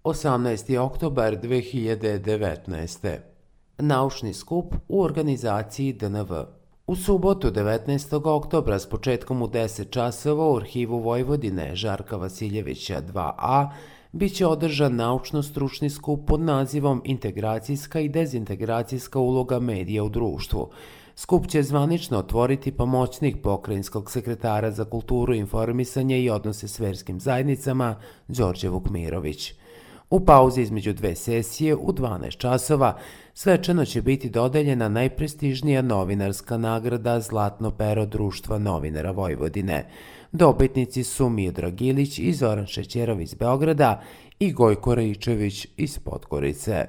18. oktobar 2019. Naučni skup u organizaciji DNV. U subotu 19. oktobra s početkom u 10 časova u Arhivu Vojvodine Žarka Vasiljevića 2a bit će održan naučno-stručni skup pod nazivom Integracijska i dezintegracijska uloga medija u društvu. Skup će zvanično otvoriti pomoćnik pokrajinskog sekretara za kulturu, informisanje i odnose s verskim zajednicama Đorđe Vukmirović. U pauzi između dve sesije u 12 časova svečano će biti dodeljena najprestižnija novinarska nagrada Zlatno pero Društva novinara Vojvodine. Dobitnici su Miodrag Ilić i Zoran Šećerov iz Beograda i Gojko Raičević iz Podgorice.